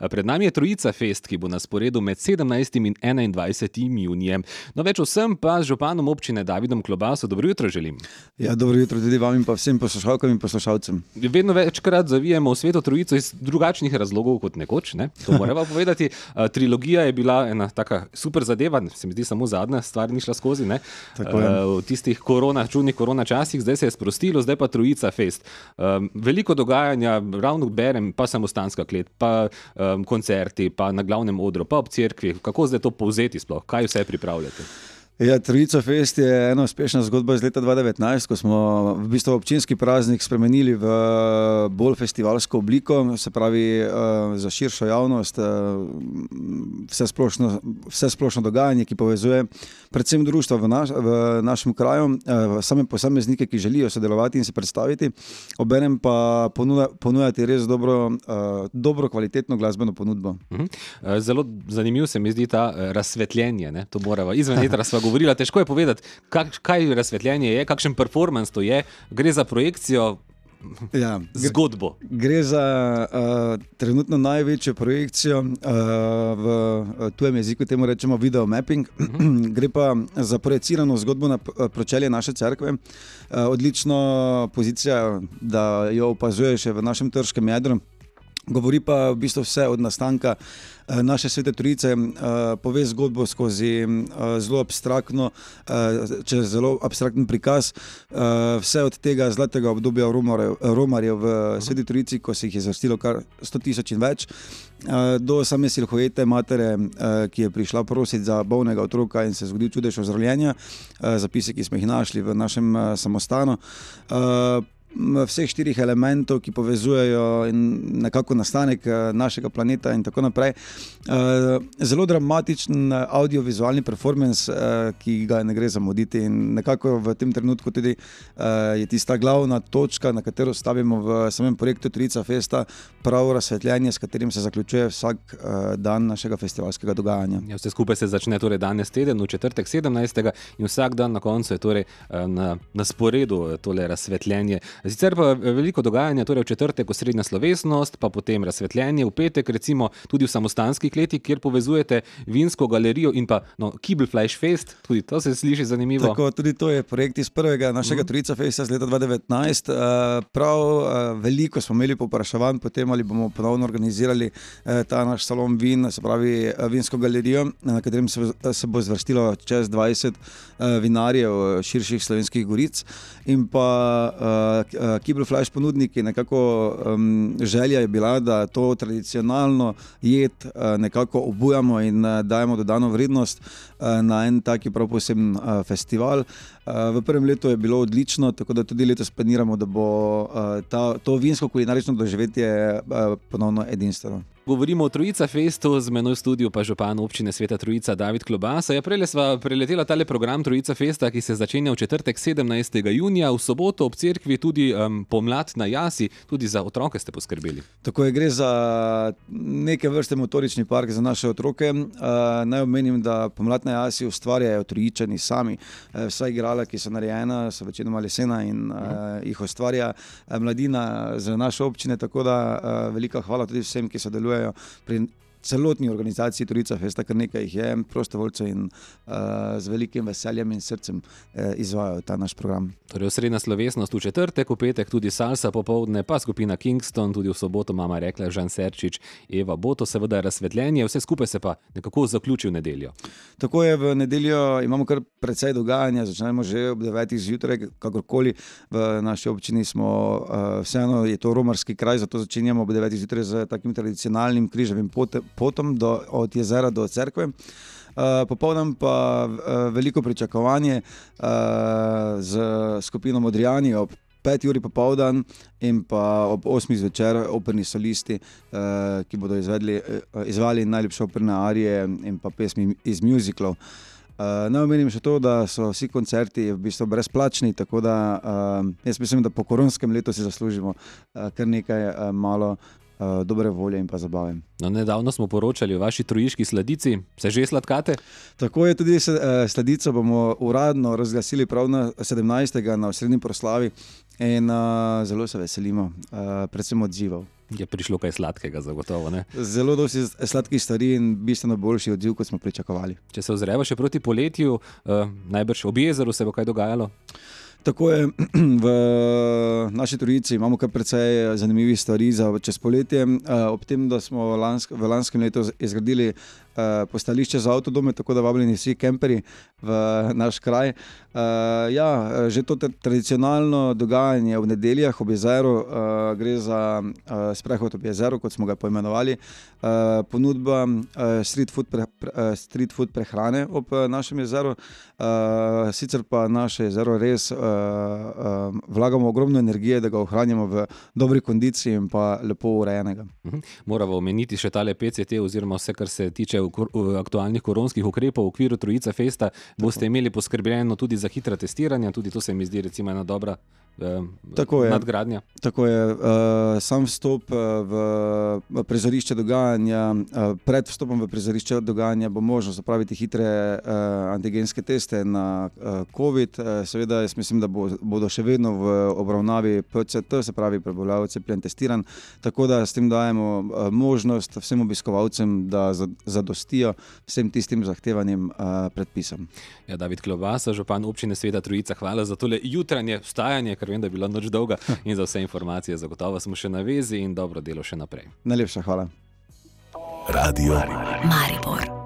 Pred nami je Trojica Fest, ki bo na sporedu med 17. in 21. junijem. No, več vsem pa z županom občine Davidom Klobaso. Dobro jutro želim. Ja, dobro jutro tudi vam in pa vsem poslušalkam in poslušalcem. Vedno večkrat zavijemo v Sveto Trojico iz drugačnih razlogov kot nekoč, ne? To moramo povedati. Trilogija je bila ena taka super zadeva, se mi zdi samo zadnja stvar ni šla skozi, ne? V tistih čudnih korona časih, zdaj se je sprostilo, zdaj pa Trojica Fest. Veliko dogajanja, ravno berem, pa samostanska klet, pa koncerti, pa na glavnem odru, pa ob cerkvi. Kako zdaj to povzeti sploh? Kaj vse pripravljate? Ja, Trojica Fest je ena uspešna zgodba iz leta 2019, ko smo v bistvu občinski praznik spremenili v bolj festivalsko obliko, se pravi za širšo javnost, vse splošno dogajanje, ki povezuje predvsem društva v našem kraju, same posameznike, ki želijo sodelovati in se predstaviti, obenem pa ponujati res dobro kvalitetno glasbeno ponudbo. Zelo zanimiv se mi zdi ta razsvetljenje, ne? To morava izven etra sva govorila, težko je povedati, kaj razsvetljenje je, kakšen performance to je, gre za projekcijo, zgodbo. Gre za trenutno največjo projekcijo v tujem jeziku, temu rečemo video mapping. Gre pa za projecirano zgodbo na pročelje naše cerkve. Odlična pozicija, da jo opazuješ v našem trškem jedru. Govori pa v bistvu vse od nastanka naše Svete Trojice, pove zgodbo skozi zelo abstraktno prikaz, vse od tega zlatega obdobja romarjev v Sveti Trojici, ko se jih je zvrstilo kar 100.000 in več, do same silhuete matere, ki je prišla prositi za bolnega otroka in se zgodil čudež ozdravljenja, zapise, ki smo jih našli v našem samostanu. Vseh 4 elementov, ki povezujejo nekako nastanek našega planeta in tako naprej. Zelo dramatičen audiovizualni performance, ki ga ne gre zamuditi, in nekako v tem trenutku tudi je tista glavna točka, na katero stavimo v samem projektu Trojica Festa, prav razsvetljenje, s katerim se zaključuje vsak dan našega festivalskega dogajanja. Ja, vse skupaj se začne torej danes teden, v četrtek 17. in vsak dan na koncu je torej na sporedu tole razsvetljenje. Sicer pa veliko dogajanja, torej v četrtek osrednja slovesnost, pa potem razsvetljenje, v petek recimo tudi v samostanski kleti, kjer povezujete vinsko galerijo in pa Kibelfleisch Fest, tudi to se sliši zanimivo. Tako, tudi to je projekt iz prvega našega Trojica Festa z leta 2019. Prav veliko smo imeli povpraševanj potem, ali bomo ponovno organizirali ta naš salon vin, se pravi vinsko galerijo, na katerem se bo zvrstilo čez 20 vinarjev širših slovenskih goric, in pa Kibelfleisch ponudniki. Nekako želja je bila, da to tradicionalno jed nekako obujamo in dajemo dodano vrednost na en taki prav poseben festival. V prvem letu je bilo odlično, tako da tudi letos planiramo, da bo to vinsko kulinarično doživetje ponovno edinstveno. Govorimo o Trojica Festu, z menoj v studiu pa župan občine Sveta Trojica David Klobasa. Ja, prejle sva preletela tale program Trojica Festa, ki se začenja v četrtek 17. junija, v soboto ob cerkvi tudi pomlad na jasi, tudi za otroke ste poskrbeli. Tako je, gre za neke vrste motorični park za naše otroke. Naj omenim, da pomlad na jasi ustvarjajo Trojičani sami. Vsa igrala, ki so narejena, so večinoma lesena in jih ustvarja mladina z naše občine, tako da velika hvala tudi vsem, ki sodelujejo pri celotni organizaciji Trojica Festa, kar nekaj jih je prostovoljcev in z velikim veseljem in srcem izvajajo ta naš program. Torej osrednja slovesnost v četrtek, v petek tudi salsa popoldne, pa skupina Kingston, tudi v soboto mama rekla Žan Serčič, Eva Boto, seveda razsvetljenje, vse skupaj se pa nekako zaključi v nedeljo. Tako je, v nedeljo imamo kar precej dogajanja, začnemo že ob 9. zjutraj, kakorkoli v naši občini smo, vseeno je to romarski kraj, zato začenjamo ob 9. zjutraj z takim tradicionalnim križevim potom od jezera do cerkve. Popoldan pa veliko pričakovanje z skupino Modrijani ob 5. uri popoldan in pa ob 8. zvečer operni solisti, ki bodo izvali najljubše operne arije in pa pesmi iz muziklov. Naj omenim še to, da so vsi koncerti v bistvu brezplačni, tako da jaz mislim, da po koronskem letu si zaslužimo kar nekaj malo dobre volje in pa zabave. No, nedavno smo poročali o vaši trojiški sladici. Se že sladkate? Tako je, tudi sladico bomo uradno razglasili prav na 17. na osrednji proslavi in zelo se veselimo, predvsem odzivov. Je prišlo kaj sladkega, zagotovo, ne? Zelo dosti sladkih stvari in bistveno boljši odziv, kot smo pričakovali. Če se ozreva še proti poletju, najbrž ob jezeru se bo kaj dogajalo? Tako je, v naši trojici imamo kar precej zanimivih stvari za čez poletje. Ob tem, da smo v lanskem letu izgradili postališče za avtodome, tako da vabljeni vsi kemperi v naš kraj. Že to tradicionalno dogajanje v nedeljah ob jezeru, gre za sprehod ob jezeru, kot smo ga poimenovali, ponudba street food prehrane ob našem jezeru. Sicer pa naše jezero res vlagamo ogromno energije, da ga ohranjamo v dobri kondiciji in pa lepo urejenega. Moramo omeniti še tale PCT oziroma vse, kar se tiče aktualnih koronskih ukrepov v okviru Trojica Festa. Boste imeli poskrbljeno tudi za hitra testiranja, tudi to se mi zdi recimo ena dobra nadgradnja. Tako je. Sam vstop v prizorišče dogajanja, pred vstopom v prizorišče dogajanja bo možno zapraviti hitre antigenske teste na COVID. Seveda jaz mislim, da bodo še vedno v obravnavi PCT, se pravi prebolel, cepljen, testiran, tako da s tem dajemo možnost vsem obiskovalcem, da zadostijo vsem tistim zahtevanim predpisom. Ja, David Klobasa, župan občine Sveta Trojica, hvala za tole jutranje vstajanje, ker vem, da je bila noč dolga, in za vse informacije. Zagotovo smo še na vezi in dobro delo še naprej. Najlepša hvala. Radio Maribor.